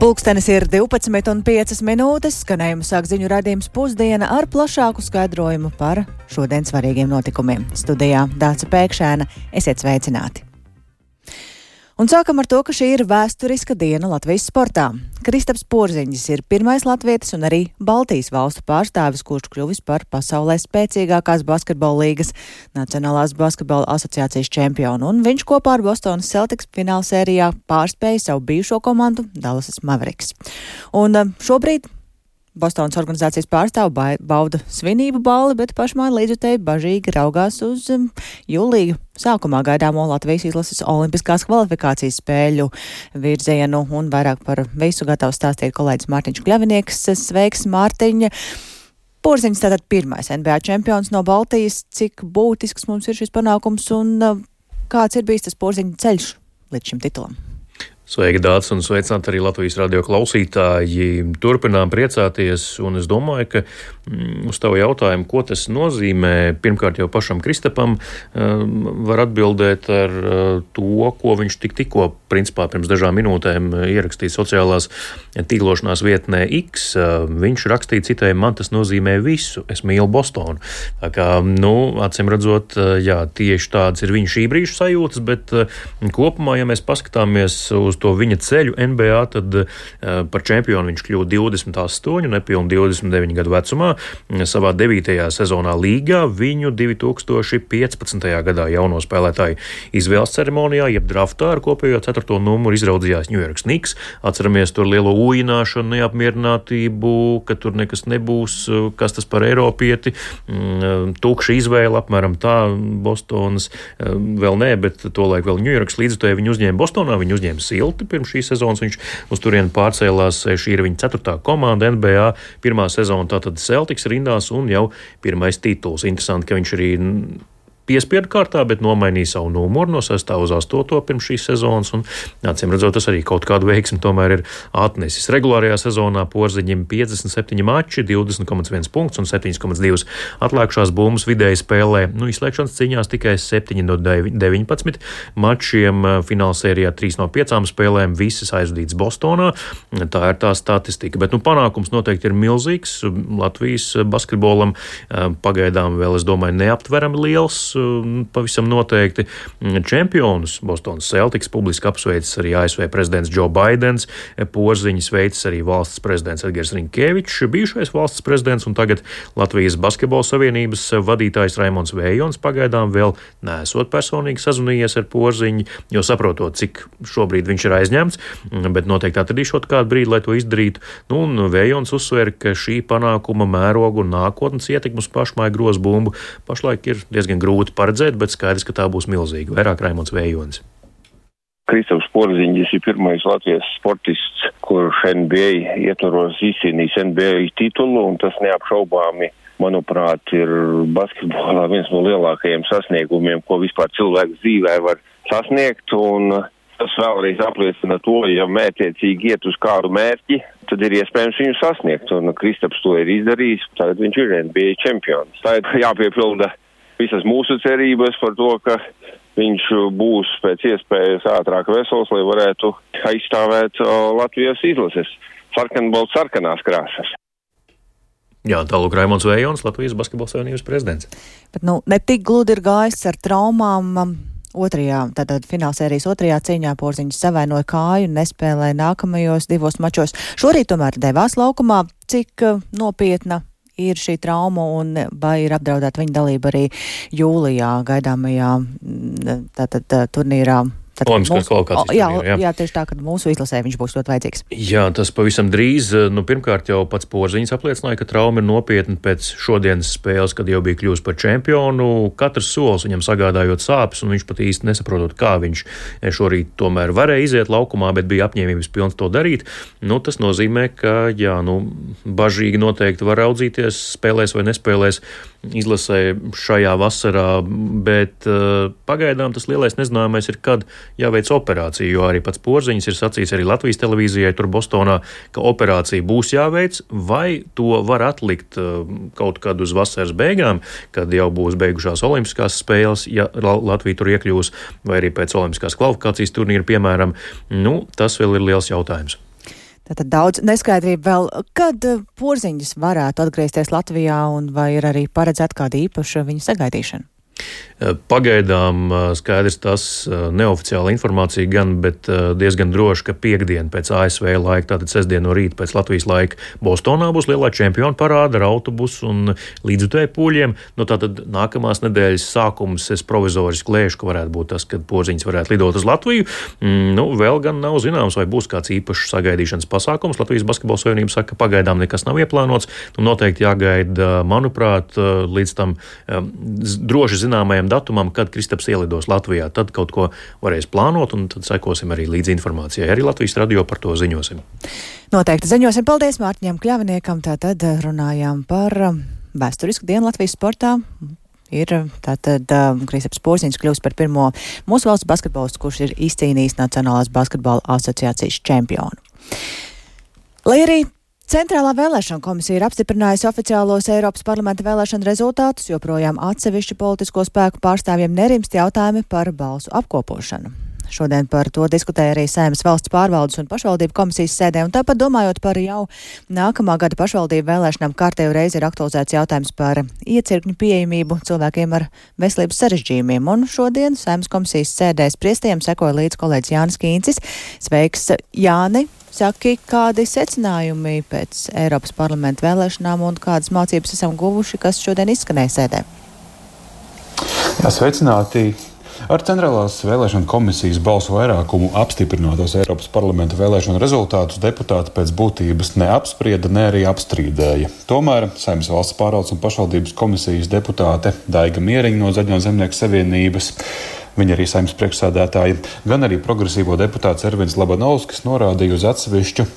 Pulkstenis ir 12:05, skanējumu sāk ziņu raidījums Pusdiena ar plašāku skaidrojumu par šodien svarīgiem notikumiem. Studijā Dāca Pēkšēna, esiet sveicināti! Un sākam ar to, ka šī ir vēsturiska diena Latvijas sportā. Kristaps Porziņģis ir pirmais latvietis un arī Baltijas valstu pārstāvis, kurš kļuvis par pasaulē spēcīgākās basketbola līgas Nacionālās basketbola asociācijas čempionu, un viņš kopā ar Bostonas Celtics finālsērijā pārspēja savu bijušo komandu Dallasas Mavericks. Un šobrīd Bostonas organizācijas pārstāvi bauda svinību balli, bet pašmāja līdzjutēji bažīgi raugās uz jūlija sākumā gaidāmo Latvijas izlases olimpiskās kvalifikācijas spēļu virzienu, un vairāk par visu gatavs stāstīt kolēģis Mārtiņš Kļavinieks. Sveiks, Mārtiņa! Porziņģis tātad pirmais NBA čempions no Baltijas. Cik būtisks mums ir šis panākums un kāds ir bijis tas Porziņģa ceļš līdz šim titulam? Sveiki, Dācis, un sveicināt arī Latvijas radio klausītāji. Turpinām priecāties, un es domāju, ka uz tavu jautājumu, ko tas nozīmē, pirmkārt jau pašam Kristapam var atbildēt ar to, ko viņš tikko, principā pirms dažām minūtēm ierakstīja sociālās tīklošanās vietnē X. Viņš rakstīja citēji, man tas nozīmē visu, es mīlu Bostonu. Tā kā, acīm redzot, jā, tieši tādas ir viņa šī brīža sajūtas, bet kopumā, ja mēs paskatāmies uz to viņa ceļu NBA, tad par čempionu viņš kļuva 28, nepilni 29 gadu vecumā. Savā 9. sezonā līgā viņu 2015. gadā jauno spēlētāju izvēles ceremonijā, jeb draftā ar kopējo 4. numuru izraudzījās New York Knicks. Atceramies tur lielo ujināšanu, neapmierinātību, ka tur nekas nebūs, kas tas par Eiropieti. Tukša izvēle, apmēram tā, Bostonas vēl nē, bet tolaik vēl New Yorks līdzutēji viņu uzņēma Bostonā, viņu uzņēma Silti. Pirms šīs sezonas viņš uz turieni pārcēlās. Šī ir viņa 4. komanda NBA. Pirmā sezona tātad Celtics rindās un jau pirmais tituls. Interesanti, ka viņš arī piespiedu kārtā, bet nomainīja savu numuru no 6. uz 8. pirms šīs sezonas, un acīm redzot, tas arī kaut kādu veiksmi tomēr ir atnesis. Regulārajā sezonā Porziņģim 57 mači, 20,1 punkts un 7,2 atlēkušās bumbas, vidēji spēlē, izslēgšanas cīņās tikai 7 no 19 mačiem, finālsērijā 3 no 5 spēlēm, visas aizvadītas Bostonā. Tā ir tā statistika, bet panākums noteikti ir milzīgs. Latvijas basketbolam pagaidām vēl, es domāju, neaptverami liels. Pavisam noteikti čempionus Bostonas Celtics publiski apsveicis arī ASV prezidents Joe Baidens, Porziņu sveicis arī valsts prezidents Edgars Rinkēvičs, bijušais valsts prezidents un tagad Latvijas basketbola savienības vadītājs Raimons Vējons pagaidām vēl neesot personīgi sazvanījies ar Porziņu, jo saprotot, cik šobrīd viņš ir aizņemts, bet noteikti atradīšot kādu brīdi, lai to izdarītu. Un Vējons uzsver, ka šī panākuma mērogu un nākotnes ietekmes pašmāju grozu bumbu pašlaik ir diezgan grūti paredzēt, bet skaidrs, ka tā būs milzīga. Vairāk Raimons Vējonis. Kristaps Porziņģis ir pirmais Latvijas sportists, kurš NBA ietvaros izcīnījis NBA titulu, un tas neapšaubāmi, manuprāt, ir basketbolā viens no lielākajiem sasniegumiem, ko vispār cilvēks dzīvē var sasniegt, un tas vēlreiz apliecina to, ja mērķiecīgi iet uz kādu mērķi, tad ir iespējams viņu sasniegt, un Kristaps to ir izdarījis, tagad viņš ir NBA čempions. Tā ir jāpiepilda visas mūsu cerības par to, ka viņš būs pēc iespējas ātrāk vesels, lai varētu aizstāvēt Latvijas izlases sarkanās krāsas. Jā, tālūk Raimons Vējons, Latvijas basketbola savienības prezidents. Bet ne tik gludi ir gājis ar traumām. Tātad finālsērijas 2. cīņā Porziņģis savainoja kāju un nespēlēja nākamajos 2 mačos. Šorīt tomēr devās laukumā. Cik nopietna ir šī trauma un vai ir apdraudēta viņa dalība arī jūlijā gaidāmajā turnīrā? Olimpiskās kvalifikācijas. Jā, tieši tā, ka mūsu izlasē viņš būs ļoti vajadzīgs. Jā, tas pavisam drīz. Pirmkārt jau pats Porziņģis apliecināja, ka trauma ir nopietna pēc šodienas spēles, kad jau bija kļuvis par čempionu. Katrs solis viņam sagādājot sāpes, un viņš pat īsti nesaprotot, kā viņš šorīt tomēr varēja iziet laukumā, bet bija apņēmības pilns to darīt. Tas nozīmē, ka bažīgi noteikti var raudzīties, spēlēs vai nespēlēs izlasē šajā vasarā, bet pagaidām tas lielais nezināmais ir, kad jāveic operācija, jo arī pats Porziņģis ir sacījis arī Latvijas televīzijai tur Bostonā, ka operācija būs jāveic, vai to var atlikt kaut kad uz vasaras beigām, kad jau būs beigušās olimpiskās spēles, ja Latvija tur iekļūs, vai arī pēc olimpiskās kvalifikācijas turnīra, piemēram. Tas vēl ir liels jautājums. Tātad daudz neskaidrību vēl, kad porziņas varētu atgriezties Latvijā un vai ir arī paredzēta kāda īpaša viņu sagaidīšana? Pagaidām skaidrs tas neoficiāla informācija gan, bet diezgan droši, ka piekdien pēc ASV laika, tātad sestdien no rīta pēc Latvijas laika, Bostonā būs lielā čempionu parāda ar autobusu un līdzutēju pūļiem. Tātad nākamās nedēļas sākums es provizoriski lēšu, ka varētu būt tas, kad porziņas varētu lidot uz Latviju. Vēl gan nav zināms, vai būs kāds īpašs sagaidīšanas pasākums. Latvijas Basketbola Savienība saka, ka pagaidām nekas nav ieplānots. Noteikti jāgaida, manuprāt, līdz tam droši zināmajam datumam, kad Kristaps ielidos Latvijā. Tad kaut ko varēs plānot, un tad sekosim arī līdz informācijai. Arī Latvijas radio par to ziņosim. Noteikti ziņosim. Paldies Mārtiņam Kļaviniekam. Tātad runājām par vēsturisku dienu Latvijas sportā. Ir tātad Kristaps Porziņš kļūst par pirmo mūsu valsts basketbolistu, kurš ir izcīnījis Nacionālās basketbola asociācijas čempionu. Lai arī Centrālā vēlēšana komisija ir apstiprinājusi oficiālos Eiropas parlamenta vēlēšanu rezultātus, joprojām atsevišķu politisko spēku pārstāvjiem nerimst jautājumi par balsu apkopošanu. Šodien par to diskutēja arī Saeimas valsts pārvaldes un pašvaldību komisijas sēdē, un tāpat domājot par jau nākamā gada pašvaldību vēlēšanām, kārtējo reizi ir aktualizēts jautājums par iecirkņu pieejamību cilvēkiem ar veselības sarežģījumiem, un šodien Saeimas komisijas sēdē spriestajiem sekoja līdz kolēģis Jānis Kīncis. Sveiks, Jāni! Saki, kādi secinājumi pēc Eiropas parlamenta vēlēšanām un kādas mācības esam guvuši, kas šodien izskanēja sēdē? Jā, sveicināti! Ar Centrālās vēlēšana komisijas balsu vairākumu apstiprinātos Eiropas parlamenta vēlēšanu rezultātus deputāti pēc būtības neapsprieda, ne arī apstrīdēja. Tomēr Saeimas valsts pārvaldes un pašvaldības komisijas deputāte Daiga Mieriņa no Zaļo zemnieku savienības, viņa arī Saeimas priekšsēdētāja, gan arī progresīvo deputāts Ervins Labanovskis norādīja uz atsevišķu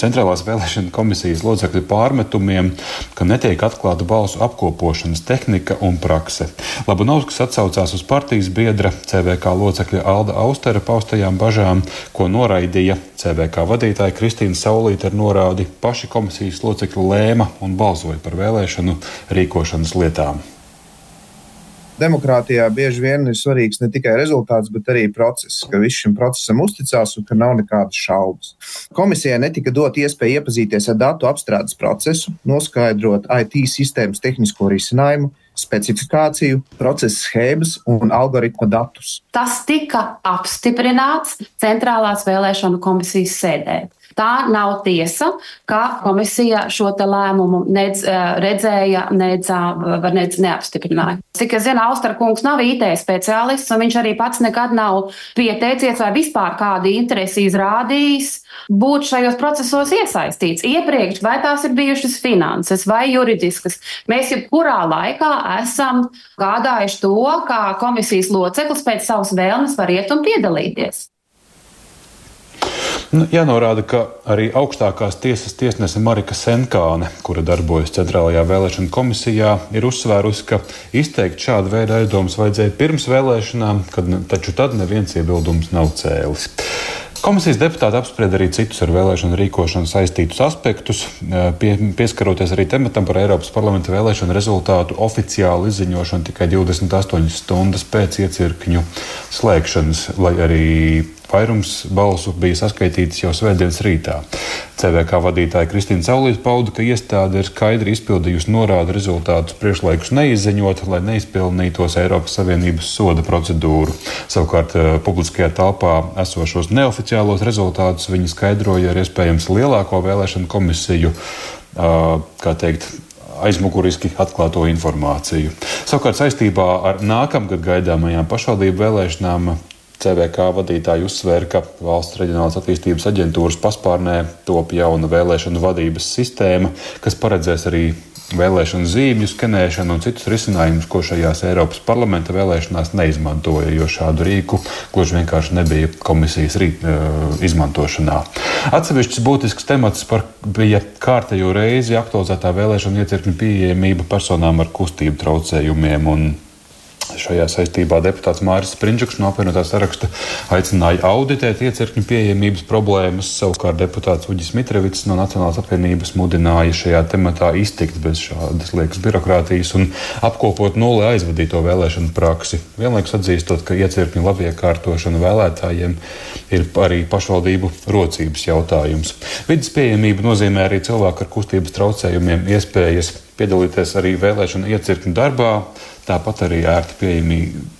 Centrālās vēlēšana komisijas locekļu pārmetumiem, ka netiek atklāta balsu apkopošanas tehnika un prakse. Labanovskis atsaucās uz partijas biedra CVK locekļa Alda Austera paustajām bažām, ko noraidīja CVK vadītāja Kristīna Saulīte ar norādi paši komisijas locekļu lēma un balsoja par vēlēšanu rīkošanas lietām. Demokrātijā bieži vien ir svarīgs ne tikai rezultāts, bet arī process, ka viss šim procesam uzticās un ka nav nekādas šaubas. Komisijai netika dot iespēja iepazīties ar datu apstrādes procesu, noskaidrot IT sistēmas tehnisko risinājumu, specifikāciju, procesa schēmas un algoritma datus. Tas tika apstiprināts Centrālās vēlēšanu komisijas sēdē. Tā nav tiesa, ka komisija šo te lēmumu redzēja, nec neapstiprināja. Cik es zinu, Austera kungs nav IT speciālists, un viņš arī pats nekad nav pieteicies vai vispār kādu interesi izrādījis būt šajos procesos iesaistīts. Iepriekš, vai tās ir bijušas finanses vai juridiskas, mēs jebkurā laikā esam gādājuši to, kā komisijas loceklis pēc savas vēlmes var iet un piedalīties. Jānorāda, ka arī augstākās tiesas tiesnese Marika Senkāne, kura darbojas Centrālajā vēlēšana komisijā, ir uzsvērusi, ka izteikt šādu veidu aizdomas vajadzēja pirms vēlēšanām, taču tad neviens iebildums nav cēlis. Komisijas deputāti apsprieda arī citus ar vēlēšanu rīkošanu saistītus aspektus, pieskaroties arī tematam par Eiropas parlamenta vēlēšanu rezultātu oficiālu izziņošanu tikai 28 stundas pēc iecirkņu slēgšanas, lai arī vairums balsu bija saskaitītas jau svētdienas rītā. CVK vadītāja Kristīna Saulīte pauda, ka iestāde ir skaidri izpildījusi norādu rezultātus priekšlaikus neizziņot, lai neizpilnītos Eiropas Savienības soda procedūru. Savukārt publiskajā telpā esošos neoficiālos rezultātus viņi skaidroja ar iespējams lielāko vēlēšanu komisiju, aizmuguriski atklāto informāciju. Savukārt saistībā ar nākamgad gaidāmajām pašvaldību vēlēšanām CVK vadītāji uzsvēra, ka Valsts reģionālās attīstības aģentūras paspārnē top jauna vēlēšanu vadības sistēma, kas paredzēs arī vēlēšanu zīmju skenēšanu un citus risinājumus, ko šajās Eiropas parlamenta vēlēšanās neizmantoja, jo šādu rīku gluži vienkārši nebija komisijas izmantošanā. Atsevišķs būtisks temats bija kārtējo reizi aktualizētā vēlēšanu iecirkņu pieejamība personām ar kustību traucējumiem, un Šajā saistībā deputāts Māris Sprindžuks no apvienotā saraksta aicināja auditēt iecirkņu pieejamības problēmas. Savukārt deputāts Uģis Mitrevits no Nacionālās apvienības mudināja šajā tematā iztikt bez šādas liekas birokrātijas un apkopot nulli aizvadīto vēlēšanu praksi. Vienlaikus atzīstot, ka iecirkņu labiekārtošana vēlētājiem ir arī pašvaldību rocības jautājums. Vides pieejamība nozīmē arī cilvēku ar kustības traucējumiem iespējas piedalīties arī vēlēšanu iecirkņu darbā. Tāpat arī ērti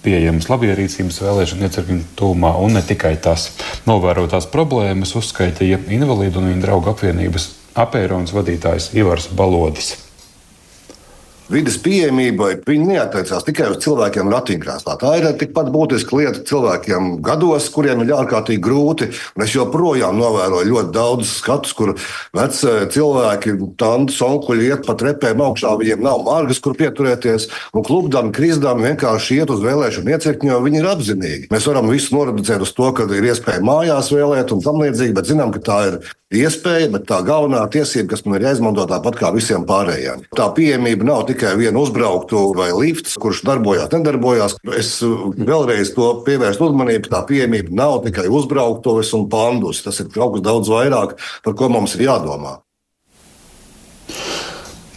pieejamas labierīcības vēlēšana iecirkņu tūmā, un ne tikai tas. Novērotās problēmas uzskaitīja Invalīdu un viņa draugu apvienības Apeironas vadītājs Ivars Balodis. Vides pieejamība, viņi neattiecās tikai uz cilvēkiem ratiņkrēslā. Tā ir tikpat būtiska lieta cilvēkiem gados, kuriem ir ārkārtīgi grūti. Un es joprojām novēroju ļoti daudz skatus, kur veci cilvēki, tantes, onkuļi iet pa trepēm augšā, viņiem nav margas, kur pieturēties, un klupdami, krizdami vienkārši iet uz vēlēšanu iecirkņu, jo viņi ir apzinīgi. Mēs varam visu noreducēt uz to, ka ir iespēja mājās vēlēt un tam līdzīgi, bet zinām, ka tā ir iespēja, bet tā galvenā tiesība, kas man ir jāizmanto tāpat kā visiem pārējiem. Tā pieejamība nav tikai viena uzbrauktu vai lifts, kurš darbojās, nedarbojās. Es vēlreiz to pievērstu uzmanību, ka tā pieejamība nav tikai uzbrauktuves un pandus. Tas ir kaut kas daudz vairāk, par ko mums ir jādomā.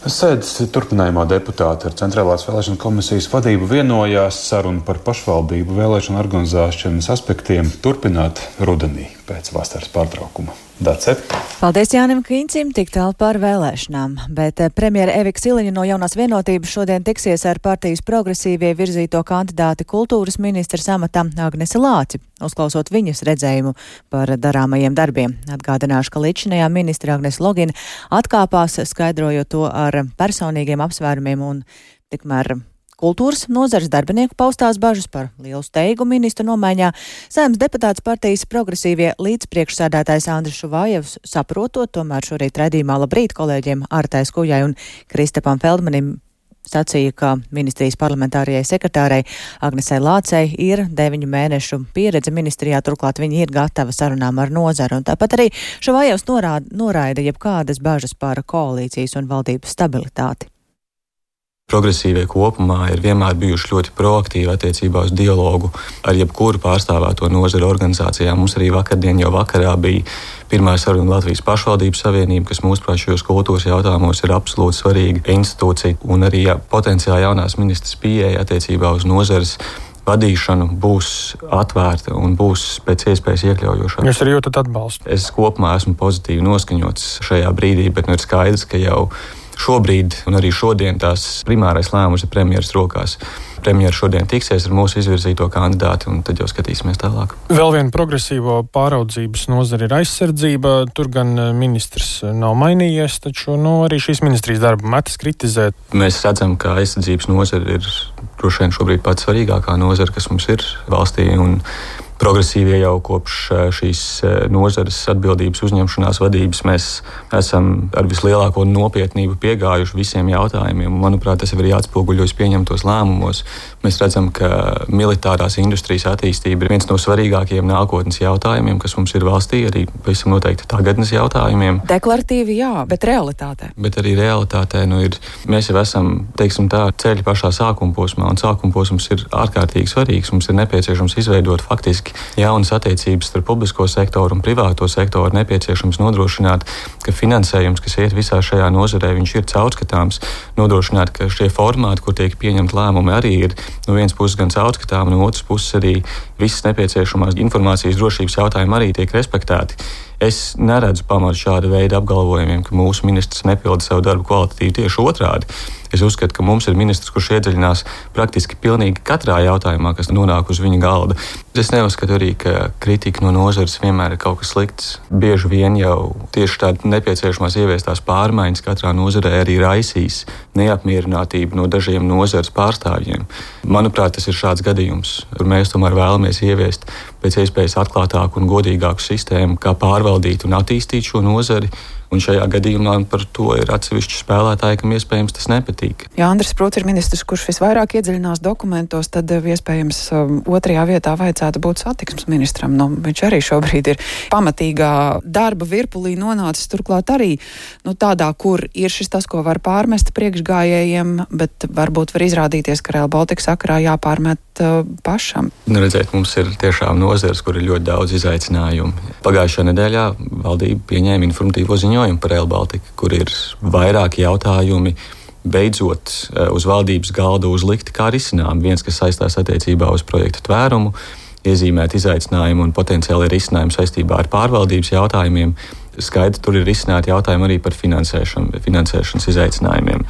Sēdes turpinājumā deputāti ar Centrālās vēlēšanu komisijas vadību vienojās sarunu par pašvaldību vēlēšanu organizēšanas aspektiem turpināt rudenī pēc vasaras pārtraukuma. Dace. Paldies Jānim Kīncim, tik tālu par vēlēšanām, bet premjera Evika Siliņa no Jaunās vienotības šodien tiksies ar partijas progresīvie virzīto kandidāti kultūras ministrs amatā Agnesi Lāci, uzklausot viņas redzējumu par darāmajiem darbiem. Atgādināšu, ka līdzinājā ministra Agnese Logina atkāpās, skaidrojot to ar personīgiem apsvērumiem un tikmēr kultūras nozares darbinieku paustās bažas par lielu steigu ministru nomaiņā. Saeimas deputāts partijas progresīvie līdzpriekšsēdētājs Andris Šuvājevs saprotot, tomēr šorīt raidījumā Labrīt kolēģiem Artai Skujai un Kristapam Feldmanim sacīja, ka ministrijas parlamentārajai sekretārei Agnesei Lācei ir 9 mēnešu pieredze ministrijā, turklāt viņa ir gatava sarunām ar nozaru. Un tāpat arī Šuvājevs noraida jebkādas bažas par koalīcijas un valdības stabilitāti. Progresīvie kopumā ir vienmēr bijuši ļoti proaktīvi attiecībā uz dialogu ar jebkuru pārstāvēto nozaru organizācijām. Mums arī vakardien jau vakarā bija pirmā saruna Latvijas pašvaldības savienība, kas mūsuprāt šajos kultūras jautājumos ir absolūti svarīga institūcija, un arī potenciāli jaunās ministras pieeja attiecībā uz nozares vadīšanu būs atvērta un būs pēc iespējas iekļaujošāka. Jūs arī jūtat atbalstu? Es kopumā esmu pozitīvi noskaņots šajā brīdī, bet ir skaidrs, ka jau šobrīd un arī šodien tās primārais lēmums ir premjeras rokās. Premjera šodien tiksies ar mūsu izvirzīto kandidāti, un tad jau skatīsimies tālāk. Vēl viena progresīvo pāraudzības nozara ir aizsardzība. Tur gan ministrs nav mainījies, taču arī šīs ministrijas darbu metas kritizēt. Mēs redzam, ka aizsardzības nozara ir droši vien šobrīd pats svarīgākā nozara, kas mums ir valstī, un progresīvie jau kopš šīs nozares atbildības uzņemšanās vadības mēs esam ar vislielāko nopietnību piegājuši visiem jautājumiem. Manuprāt, tas ir jāatspoguļojas pieņemtos lēmumos. Mēs redzam, ka militārās industrijas attīstība ir viens no svarīgākajiem nākotnes jautājumiem, kas mums ir valstī, arī pavisam noteikti tagadnes jautājumiem. Deklaratīvi jā, bet realitātē. Bet arī realitātē mēs jau esam, teiksim tā, ceļa pašā sākuma posmā, un sākuma posms ir ārkārtīgi svarīgs. Mums ir nepieciešams izveidot faktiski jaunas attiecības starp publisko sektoru un privāto sektoru. Nepieciešams nodrošināt, ka finansējums, kas iet visā šajā nozarē, viņš ir caurskatāms, nodrošināt, ka šie formāti, kur tiek pieņemt lēmumi, arī ir no vienas puses gan caurskatām, no otras puses arī visas nepieciešamās informācijas drošības jautājumi arī tiek respektēti. Es neredzu pamatu šāda veida apgalvojumiem, ka mūsu ministrs nepilda savu darbu kvalitatīvi, tieši otrādi. Es uzskatu, ka mums ir ministrs, kurš iedziļinās praktiski pilnīgi katrā jautājumā, kas nonāk uz viņa galda. Es neuzskatu arī, ka kritika no nozares vienmēr ir kaut kas slikts. Bieži vien jau tieši tāda nepieciešamās ieviestās pārmaiņas katrā nozarē arī raisīs neapmierinātību no dažiem nozares pārstāvjiem. Manuprāt, tas ir šāds gadījums, kur mēs tomēr vēlamies ieviest pēc iespējas atklātāku un godīgāku sistēmu, kā pārvaldīt un attīstīt šo nozari. Un šajā gadījumā par to ir atsevišķi spēlētāji, kam iespējams tas nepatīk. Ja Andris Pruts ir ministrs, kurš visvairāk iedziļinās dokumentos, tad iespējams otrajā vietā vajadzētu būt satiksmes ministram. Viņš arī šobrīd ir pamatīgā darba virpulī nonācis, turklāt arī tādā, kur ir šis tas, ko var pārmest priekšgājējiem, bet varbūt var izrādīties, ka Rail Baltica sakarā jāpārmet pašam. Redzēt, mums ir tiešām nozeres, kur ir ļoti daudz izaicinājumu. Pagājušajā nedēļā valdība pieņēma informatīvo ziņojumu par Rail Baltica, kur ir vairāki jautājumi beidzot uz valdības galda uzlikti kā risinājumi. Viens, kas saistās attiecībā uz projekta tvērumu, iezīmēt izaicinājumu un potenciāli risinājumu saistībā ar pārvaldības jautājumiem. Skaidri tur ir risināti jautājumi arī par finansēšanas izaicinājumiem.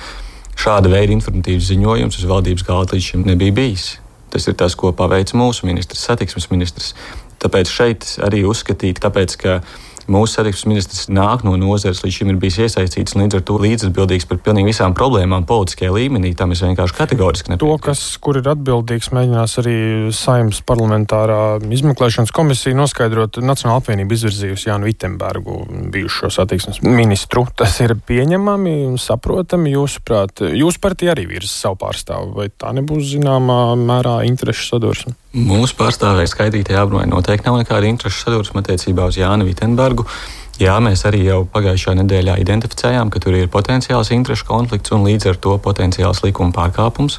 Šāda veida informatīvs ziņojums uz valdības galda līdz šim nebija bijis. Tas ir tas, ko paveic mūsu ministrs, satiksmes ministrs. Tāpēc šeit arī uzskatīt, tāpēc, ka mūsu satiksmes ministrs nāk no nozares, līdz šim ir bijis iesaistīts un līdz ar to līdzatbildīgs par pilnīgi visām problēmām politiskajā līmenī. Tam es vienkārši kategoriski nepiekrītu. Kur ir atbildīgs, mēģinās arī Saeimas parlamentārā izmeklēšanas komisija noskaidrot. Nacionāla apvienība izvirzījusi Jānu Vitenbergu, bijušo satiksmes ministru. Tas ir pieņemami un saprotami, jūsuprāt. Jūsu partija arī virza savu pārstāvu, vai tā nebūs zināmā mērā interešu sadursme? Mūsu pārstāvēja skaitītajā apbrunē noteikti nav nekāda interešu sadursme attiecībā uz Jānu Vitenbergu. Jā, mēs arī jau pagājušajā nedēļā identificējām, ka tur ir potenciāls interešu konflikts un līdz ar to potenciāls likuma pārkāpums,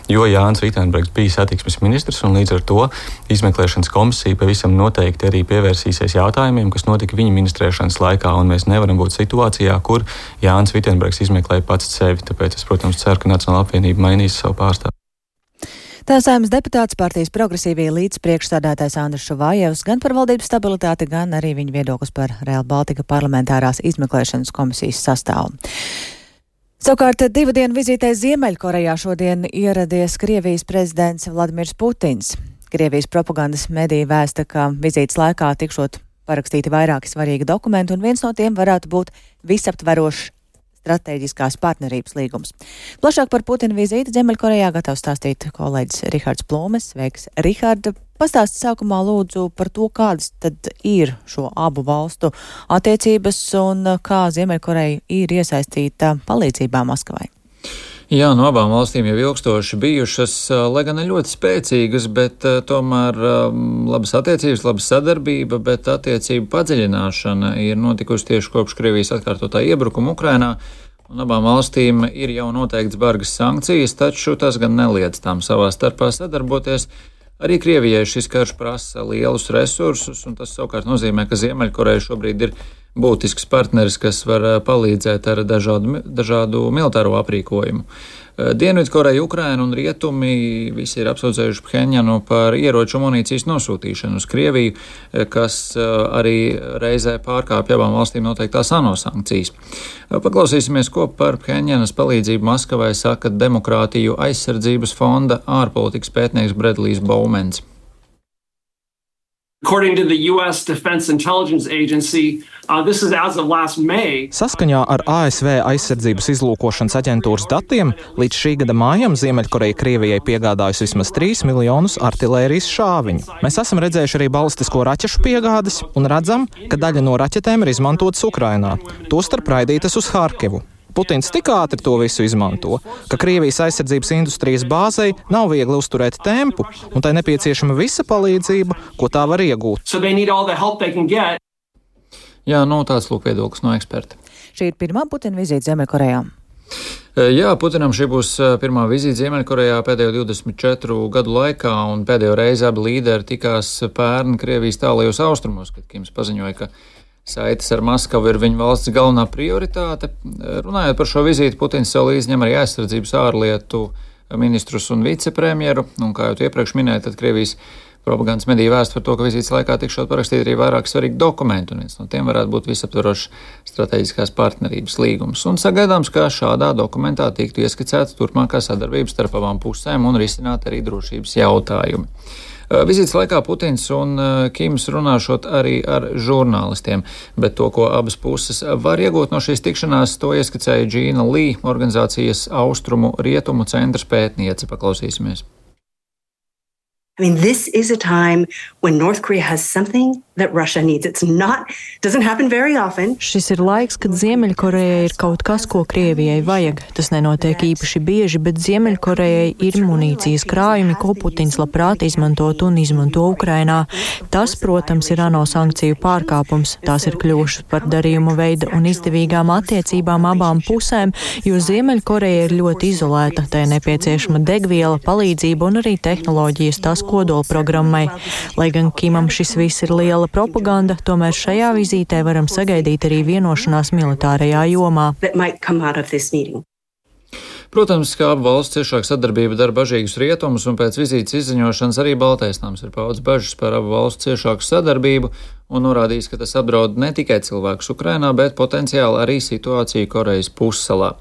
jo Jānis Vitenbergs bija satiksmes ministrs un līdz ar to izmeklēšanas komisija pavisam noteikti arī pievērsīsies jautājumiem, kas notika viņa ministrēšanas laikā, un mēs nevaram būt situācijā, kur Jānis Vitenbergs izmeklē pats sevi. Tāpēc es, protams, ceru, ka Nacionāla apvienība mainīs savu pārstāvu. Tā Saeimas deputāts partijas progresīvie līdzpriekšsādātājs Andris Šuvājevs gan par valdības stabilitāti, gan arī viņa viedoklis par Rail Baltica parlamentārās izmeklēšanas komisijas sastāvu. Savukārt 2 dienu vizītē Ziemeļkorejā šodien ieradies Krievijas prezidents Vladimirs Putins. Krievijas propagandas mediji vēsta, ka vizītes laikā tikšot parakstīti vairāki svarīgi dokumenti, un viens no tiem varētu būt visaptverošs stratēģiskās partnerības līgums. Plašāk par Putina vizīti Ziemeļkorejā gatavs stāstīt kolēģis Rihards Plūmes. Sveiks, Rihard! Pastāsti sākumā lūdzu par to, kādas tad ir šo abu valstu attiecības un kā Ziemeļkoreja ir iesaistīta palīdzībā Maskavai. Jā, no abām valstīm jau ilgstoši bijušas, lai gan ļoti spēcīgas, bet tomēr labas attiecības, laba sadarbība, bet attiecību padziļināšana ir notikusi tieši kopš Krievijas atkārtotā iebrukuma Ukrainā, un abām valstīm ir jau noteikts bargas sankcijas, taču tas gan neliedz tām savā starpā sadarboties. Arī Krievijai šis karš prasa lielus resursus, un tas savukārt nozīmē, ka Ziemeļkoreja šobrīd ir būtisks partneris, kas var palīdzēt ar dažādu militāro aprīkojumu. Dienvidkoreja, Ukraina un Rietumi visi ir apsūdzējuši Phenjanu par ieroču munīcijas nosūtīšanu uz Krieviju, kas arī reizē pārkāpja abām valstīm noteiktās ANO sankcijas. Paklausīsimies, ko par Phenjanas palīdzību Maskavai saka Demokrātiju aizsardzības fonda ārpolitikas pētnieks Bredlijs Baumens. According to the U.S. Defense Intelligence Agency, this is as of last May. Saskaņā ar ASV aizsardzības izlūkošanas aģentūras datiem, līdz šī gada mājam Ziemeļkoreja Krievijai piegādājusi vismaz 3 miljonus artilērijas šāviņu. Mēs esam redzējuši arī balistisko raķešu piegādes un redzam, ka daļa no raķetēm ir izmantotas Ukrainā, tostarp raidītas uz Harkivu. Putins tik ātri to visu izmanto, ka Krievijas aizsardzības industrijas bāzei nav viegli uzturēt tempu, un tai nepieciešama visa palīdzība, ko tā var iegūt. Jā, tāds lūk viedoklis no eksperta. Šī ir pirmā Putina vizīte Ziemeļkorejā. Jā, Putinam šī būs pirmā vizīte Ziemeļkorejā pēdējo 24 gadu laikā, un pēdējo reizi abi līderi tikās pērn Krievijas tālajos austrumos, kad Kims paziņoja, ka saites ar Maskavu ir viņa valsts galvenā prioritāte. Runājot par šo vizīti, Putins sev līdzi ņem arī aizsardzības ārlietu ministrus un vicepremjeru, un kā jau tu iepriekš minēji, tad Krievijas propagandas mediju vēst par to, ka vizītes laikā tikšot parakstīt arī vairāk svarīgi dokumenti, un viens no tiem varētu būt visaptverošs strateģiskās partnerības līgums. Un sagaidāms, ka šādā dokumentā tiktu ieskicēta turpmākā sadarbība starp abām pusēm un risināt arī drošības jautājumi. Vizītes laikā Putins un Kims runāšot arī ar žurnālistiem, bet to, ko abas puses var iegūt no šīs tikšanās, to ieskicēja Džīna Lī, organizācijas Austrumu Rietumu centra pētniece. Paklausīsimies. I mean, this is a time when North Korea has something that Russia needs. Doesn't happen very often. Šis ir laiks, kad Ziemeļkorejai ir kaut kas, ko Krievijai vajag. Tas nenotiek īpaši bieži, bet Ziemeļkorejai ir munīcijas krājumi, ko Putins labprāt izmantot un izmanto Ukrainā. Tas, protams, ir ANO sankciju pārkāpums. Tās ir kļuvušas par darījumu veidu un izdevīgām attiecībām abām pusēm, jo Ziemeļkoreja ir ļoti izolēta. Tai nepieciešama degviela, palīdzība un arī tehnoloģijas tās kodolprogrammai. Lai gan Kimam šis viss ir liela propaganda, tomēr šajā vizītē varam sagaidīt arī vienošanās militārajā jomā. Protams, ka abu valstu ciešāka sadarbība dara bažīgus rietumus, un pēc vizītes izziņošanas arī Baltais nams ir paudis bažas par abu valstu ciešāku sadarbību un norādījis, ka tas apdraud ne tikai cilvēkus Ukrainā, bet potenciāli arī situāciju Korejas pussalā.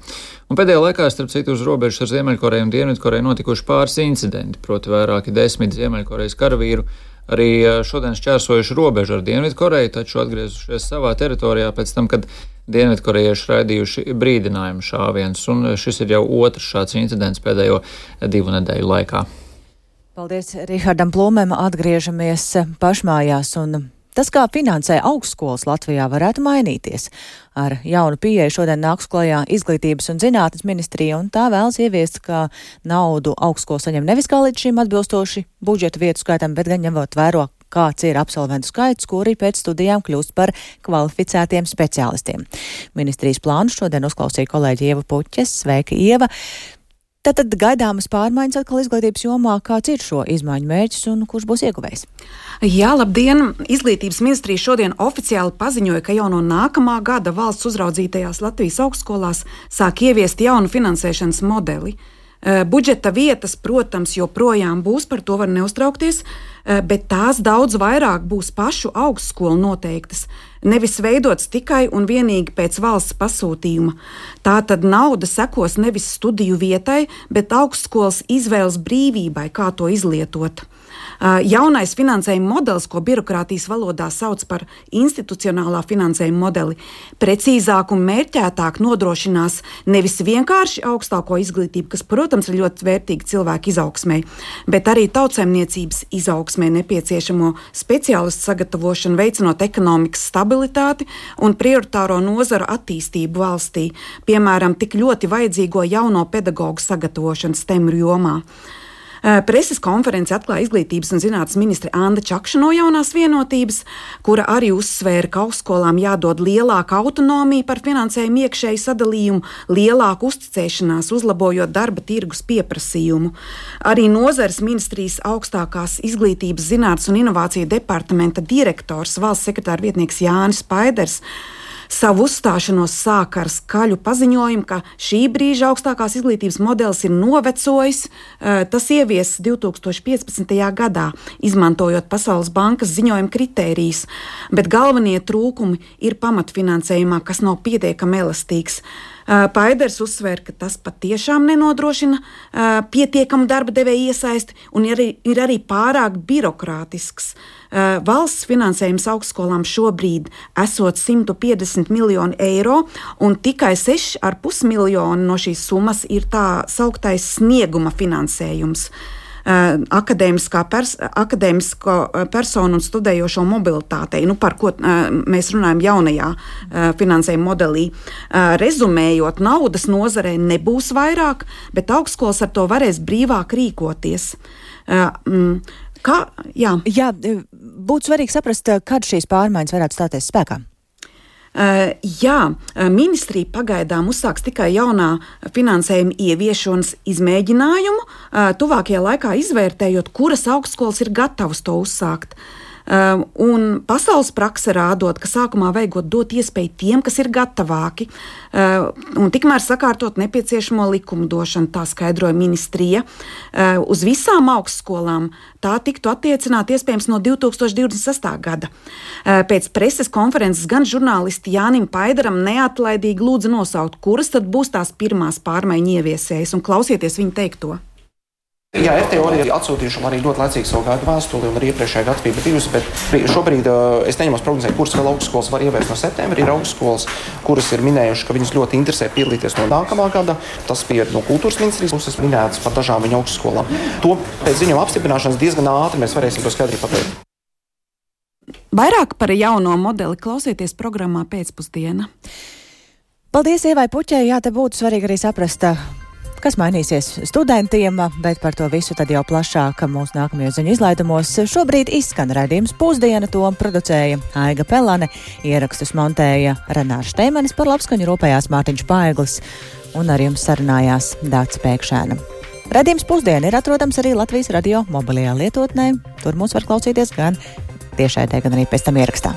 Un pēdējā laikā, starp citu, uz robežas ar Ziemeļkoreju un Dienvidkoreju notikuši pāris incidenti, proti vairāki 10 Ziemeļkorejas karavīru arī šodien šķērsojuši robežu ar Dienvidkoreju, taču atgriezušies savā teritorijā pēc tam, kad Dienvidkorejieši raidījuši brīdinājumu šāvienus, un šis ir jau otrs šāds incidents pēdējo 2 nedēļu laikā. Paldies Rihardam Plūmēm, atgriežamies pašmājās, un tas, kā finansē augstskolas Latvijā, varētu mainīties. Ar jaunu pieeju šodien nāks klajā Izglītības un zinātnes ministrija, un tā vēlas ieviest, ka naudu augstskola saņem nevis kā līdz šim atbilstoši budžeta vietu skaitam, bet gan ņemot vēro, kāds ir absolventu skaits, kuri pēc studijām kļūst par kvalificētiem speciālistiem. Ministrijas plānu šodien uzklausīja kolēģi Ieva Puķes. Sveika, Ieva! Tātad gaidāmas pārmaiņas atkal izglītības jomā. Kāds ir šo izmaiņu mērķis un kurš būs ieguvējs? Jā, labdien! Izglītības ministrija šodien oficiāli paziņoja, ka jau no nākamā gada valsts uzraudzītajās Latvijas augstskolās sāk ieviest jaunu finansēšanas modeli. Budžeta vietas, protams, joprojām būs, par to var neuztraukties, bet tās daudz vairāk būs pašu augstskolu noteiktas, nevis veidots tikai un vienīgi pēc valsts pasūtījuma. Tātad nauda sekos nevis studiju vietai, bet augstskolas izvēles brīvībai, kā to izlietot. Jaunais finansējuma modelis, ko birokrātijas valodā sauc par institucionālā finansējuma modeli, precīzāk un mērķētāk nodrošinās nevis vienkārši augstāko izglītību, kas, protams, ir ļoti vērtīga cilvēku izaugsmei, bet arī tautsaimniecības izaugsmei nepieciešamo speciālistu sagatavošanu, veicinot ekonomikas stabilitāti un prioritāro nozaru attīstību valstī, piemēram, tik ļoti vajadzīgo jauno pedagogu sagatavošanu STEM jomā. Preses konferenci atklāja Izglītības un zinātnes ministre Anda Čakša no Jaunās vienotības, kura arī uzsvēra, ka augstskolām jādod lielāka autonomija par finansējumu iekšēju sadalījumu, lielāku uzticēšanās, uzlabojot darba tirgus pieprasījumu. Arī nozares ministrijas augstākās izglītības, zinātnes un inovāciju departamenta direktors, valsts sekretāra vietnieks Jānis Paiders, savu uzstāšanos sāk ar skaļu paziņojumu, ka šī brīža augstākās izglītības modelis ir novecojis. Tas ieviesis 2015. gadā, izmantojot Pasaules bankas ziņojuma kritērijus, bet galvenie trūkumi ir pamatfinansējumā, kas nav pietiekami elastīgs. Paiders uzsvēra, ka tas patiešām nenodrošina pietiekamu darba devēju iesaisti un ir arī pārāk birokrātisks. Valsts finansējums augstskolām šobrīd esot 150 miljoni eiro, un tikai 6,5 miljoni no šīs summas ir tā sauktais snieguma finansējums. Akadēmisko personu un studējošo mobilitātei, par ko mēs runājam jaunajā finansējuma modelī. Rezumējot, naudas nozarē nebūs vairāk, bet augstskolas ar to varēs brīvāk rīkoties. Jā, būtu svarīgi saprast, kad šīs pārmaiņas varētu stāties spēkā. Ministrija pagaidām uzsāks tikai jaunā finansējuma ieviešanas izmēģinājumu, tuvākajā laikā izvērtējot, kuras augstskolas ir gatavas to uzsākt. Un pasaules prakse rādot, ka sākumā vajag dot iespēju tiem, kas ir gatavāki, un tikmēr sakārtot nepieciešamo likumdošanu, tā skaidroja ministrija. Uz visām augstskolām tā tiktu attiecināt iespējams no 2026. gada. Pēc preses konferences gan žurnālisti Jānim Paideram neatlaidīgi lūdza nosaukt, kuras tad būs tās pirmās pārmaiņu ieviesējas, un klausieties viņa teikto. Jā, FTO ir atsūtījuši arī ļoti laicīgi savu gaidu vēstuli un arī iepriekšējā gada FIBA 2, bet šobrīd es neņemos prognozēt, kuras vēl augstskolas var ieviest no septembra. Ir augstskolas, kuras ir minējuši, ka viņus ļoti interesē piedalīties no nākamā gada. Tas bija no kultūras ministrijas puses minēts par dažām viņa augstskolām. To pēc ziņojuma apstiprināšanas diezgan ātri mēs varēsim to skaidri pateikt. Vairāk par jauno modeli klausieties programmā Pēcpusdiena. Paldies Ievai Puķei. Jā, te būtu svarīgi arī saprast, kas mainīsies studentiem, bet par to visu tad jau plašāk mūsu nākamajos ziņu izlaidumos. Šobrīd izskan raidījums Pusdiena, to producēja Aiga Pelane, ierakstus montēja Renārs Šteimanis, par labskaņu rūpējās Mārtiņš Paeglis un ar jums sarunājās Dāca Pēkšēna. Raidījums Pusdiena ir atrodams arī Latvijas radio mobilajā lietotnē. Tur mūs var klausīties gan tiešraidē, gan arī pēc tam ierakstā.